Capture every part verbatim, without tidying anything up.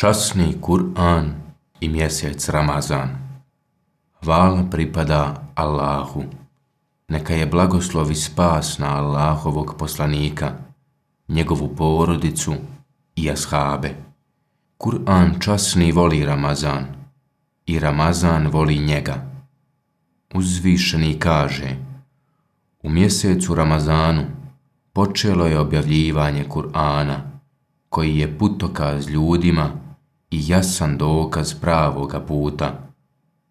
Časni Kur'an i mjesec Ramazan. Hvala pripada Allahu. Neka je blagoslov i spas na Allahovog poslanika, njegovu porodicu i ashabe. Kur'an časni voli Ramazan i Ramazan voli njega. Uzvišeni kaže: u mjesecu Ramazanu počelo je objavljivanje Kur'ana, koji je putokaz ljudima i jasan dokaz pravoga puta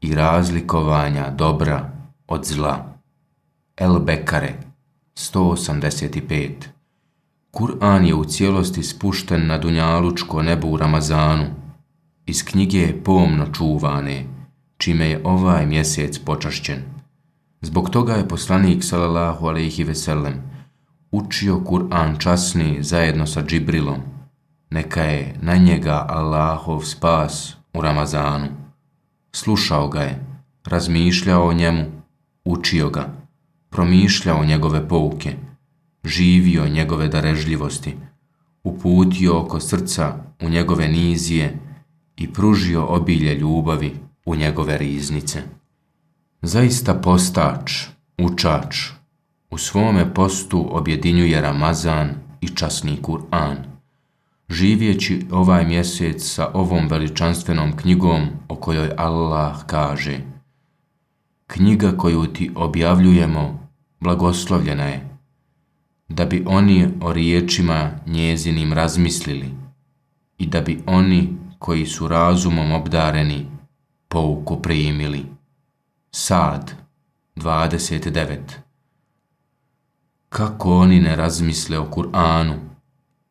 i razlikovanja dobra od zla. El Bekare sto osamdeset pet. Kur'an je u cijelosti spušten na dunjalučko nebo u Ramazanu, iz knjige pomno čuvane, čime je ovaj mjesec počašćen. Zbog toga je poslanik sallallahu alejhi ve sellem učio Kur'an časni zajedno sa Džibrilom, neka je na njega Allahov spas u Ramazanu. Slušao ga je, razmišljao o njemu, učio ga, promišljao njegove pouke, živio njegove darežljivosti, uputio oko srca u njegove nizije i pružio obilje ljubavi u njegove riznice. Zaista postač, učač, u svome postu objedinjuje Ramazan i časni Kur'an, živjeći ovaj mjesec sa ovom veličanstvenom knjigom o kojoj Allah kaže: knjiga koju ti objavljujemo blagoslovljena je, da bi oni o riječima njezinim razmislili i da bi oni koji su razumom obdareni pouku primili. Sad dvadeset devet. Kako oni ne razmisle o Kur'anu,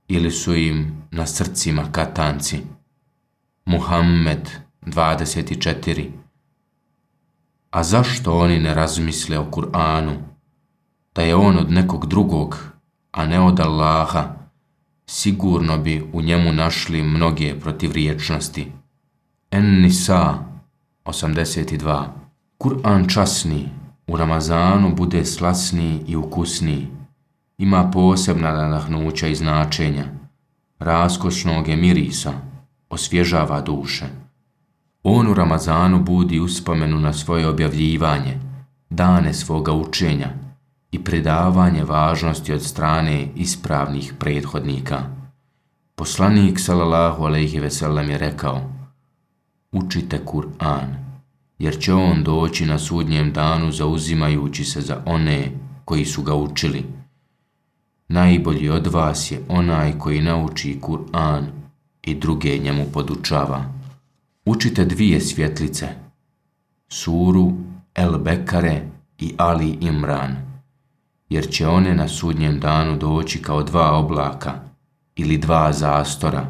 ili su im na srcima katanci? Muhammed dvadeset četiri. A zašto oni ne razmisle o Kur'anu, da je on od nekog drugog, a ne od Allaha? Sigurno bi u njemu našli mnoge protivriječnosti. En-Nisa osamdeset dva. Kur'an časni u Ramazanu bude slasniji i ukusniji, ima posebna nadahnuća i značenja, raskošnog je mirisa, osvježava duše. On u Ramazanu budi uspomenu na svoje objavljivanje, dane svoga učenja i predavanje važnosti od strane ispravnih prethodnika. Poslanik sallallahu alejhi ve sellem je rekao: učite Kur'an, jer će on doći na sudnjem danu zauzimajući se za one koji su ga učili. Najbolji od vas je onaj koji nauči Kur'an i druge njemu podučava. Učite dvije svjetlice, suru El Bekare i Ali Imran, jer će one na sudnjem danu doći kao dva oblaka ili dva zastora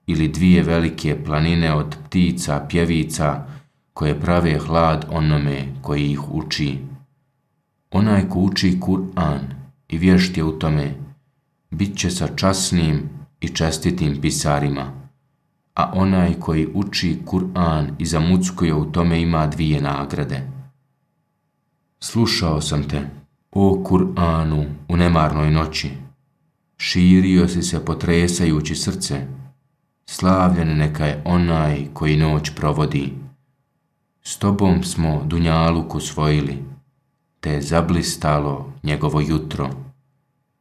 ili dvije velike planine od ptica pjevica koje prave hlad onome koji ih uči. Onaj ko uči Kur'an i vješt je u tome, bit će sa časnim i čestitim pisarima, a onaj koji uči Kur'an i zamuckuje u tome ima dvije nagrade. Slušao sam te, o Kur'anu, u nemarnoj noći, širio si se potresajući srce, slavljen neka je onaj koji noć provodi. S tobom smo dunjaluk usvojili, te je zablistalo njegovo jutro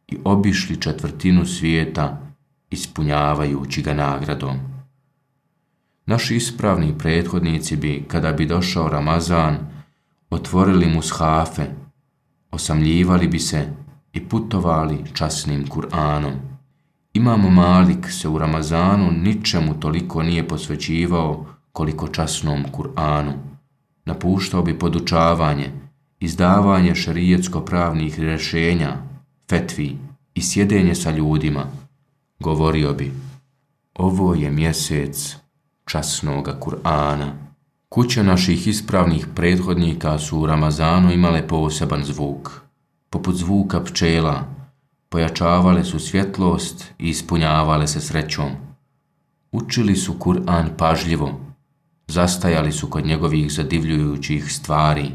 i obišli četvrtinu svijeta ispunjavajući ga nagradom. Naši ispravni prethodnici bi, kada bi došao Ramazan, otvorili mushafe, osamljivali bi se i putovali časnim Kur'anom. Imam Malik se u Ramazanu ničemu toliko nije posvećivao koliko časnom Kur'anu. Napuštao bi podučavanje, izdavanje šerijetsko-pravnih rješenja, fetvi i sjedenje sa ljudima. Govorio bi: ovo je mjesec časnoga Kur'ana. Kuće naših ispravnih prethodnika su u Ramazanu imale poseban zvuk, poput zvuka pčela, pojačavale su svjetlost i ispunjavale se srećom. Učili su Kur'an pažljivo, zastajali su kod njegovih zadivljujućih stvari,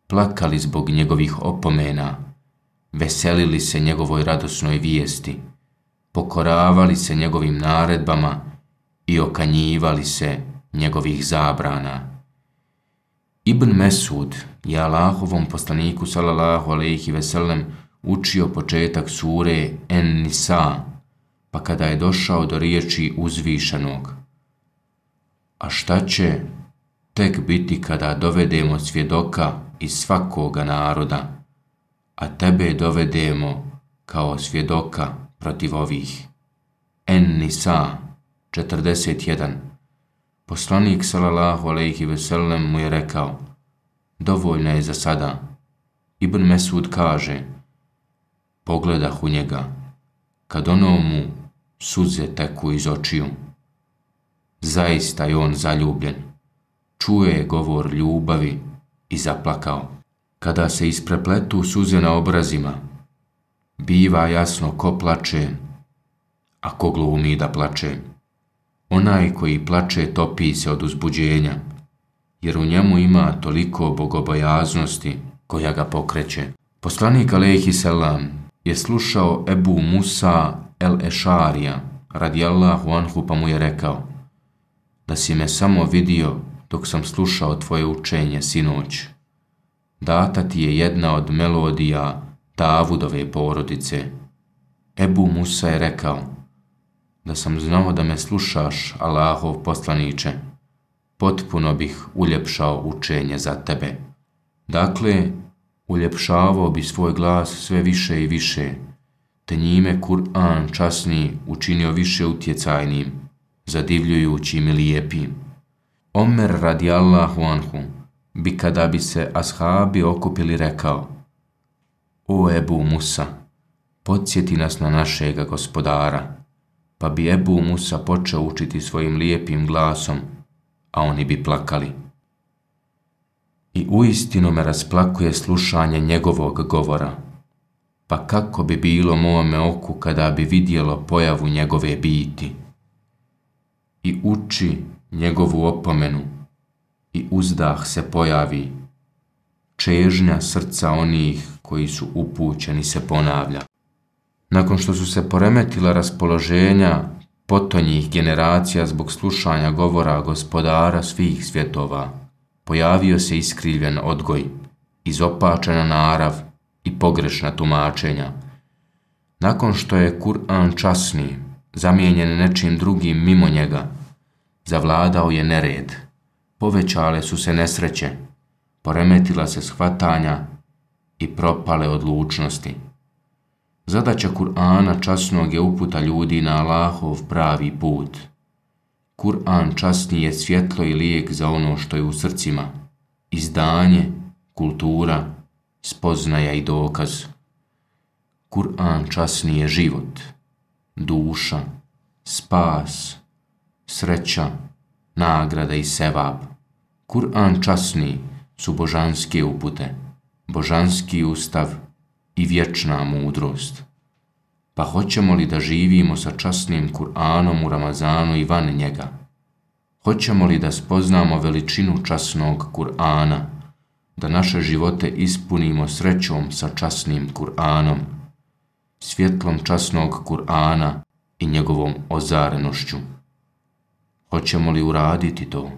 plakali zbog njegovih opomena, veselili se njegovoj radosnoj vijesti, pokoravali se njegovim naredbama i okanjivali se njegovih zabrana. Ibn Mesud je Allahovom poslaniku sallallahu alejhi ve sellem učio početak sure En-Nisa, pa kada je došao do riječi uzvišenog: a šta će tek biti kada dovedemo svjedoka iz svakoga naroda, a tebe dovedemo kao svjedoka protiv ovih. En-Nisa četrdeset jedan. Poslanik sallallahu alejhi ve sellem mu je rekao: dovoljno je za sada. Ibn Mesud kaže: pogledah u njega, kad ono mu suze teku iz očiju. Zaista je on zaljubljen. Čuje govor ljubavi i zaplakao. Kada se isprepletu suze na obrazima, biva jasno ko plače, a ko glumi da plače. Onaj koji plače topi se od uzbuđenja, jer u njemu ima toliko bogobojaznosti koja ga pokreće. Poslanik alejhi selam je slušao Ebu Musa el-Ešarija radijallahu anhu, pa mu je rekao: da si me samo vidio dok sam slušao tvoje učenje sinoć. Data ti je jedna od melodija Davudove porodice. Ebu Musa je rekao: da sam znao da me slušaš, Allahov poslaniče, potpuno bih uljepšao učenje za tebe. Dakle, uljepšavao bi svoj glas sve više i više, te njime Kur'an časni učinio više utjecajnim, zadivljujućim i lijepim. Omer radijallahu anhu bi, kada bi se ashabi okupili, rekao: o Ebu Musa, podsjeti nas na našega gospodara. Pa bi Ebu Musa počeo učiti svojim lijepim glasom, a oni bi plakali. I uistinu me rasplakuje slušanje njegovog govora, pa kako bi bilo mome oku kada bi vidjelo pojavu njegove biti. I uči njegovu opomenu, i uzdah se pojavi, čežnja srca onih koji su upućeni se ponavlja. Nakon što su se poremetila raspoloženja potonjih generacija zbog slušanja govora gospodara svih svjetova, pojavio se iskrivljen odgoj, izopačena narav i pogrešna tumačenja. Nakon što je Kur'an časni zamijenjen nečim drugim mimo njega, zavladao je nered, povećale su se nesreće, poremetila se shvatanja i propale odlučnosti. Zadaća Kur'ana časnog je uputa ljudi na Allahov pravi put. Kur'an časni je svjetlo i lijek za ono što je u srcima, izdanje, kultura, spoznaja i dokaz. Kur'an časni je život, duša, spas, sreća, nagrada i sevab. Kur'an časni su božanske upute, božanski ustav i vječna mudrost. Pa hoćemo li da živimo sa časnim Kur'anom u Ramazanu i van njega? Hoćemo li da spoznamo veličinu časnog Kur'ana, da naše živote ispunimo srećom sa časnim Kur'anom, svjetlom časnog Kur'ana i njegovom ozarenošću? Hoćemo li uraditi to?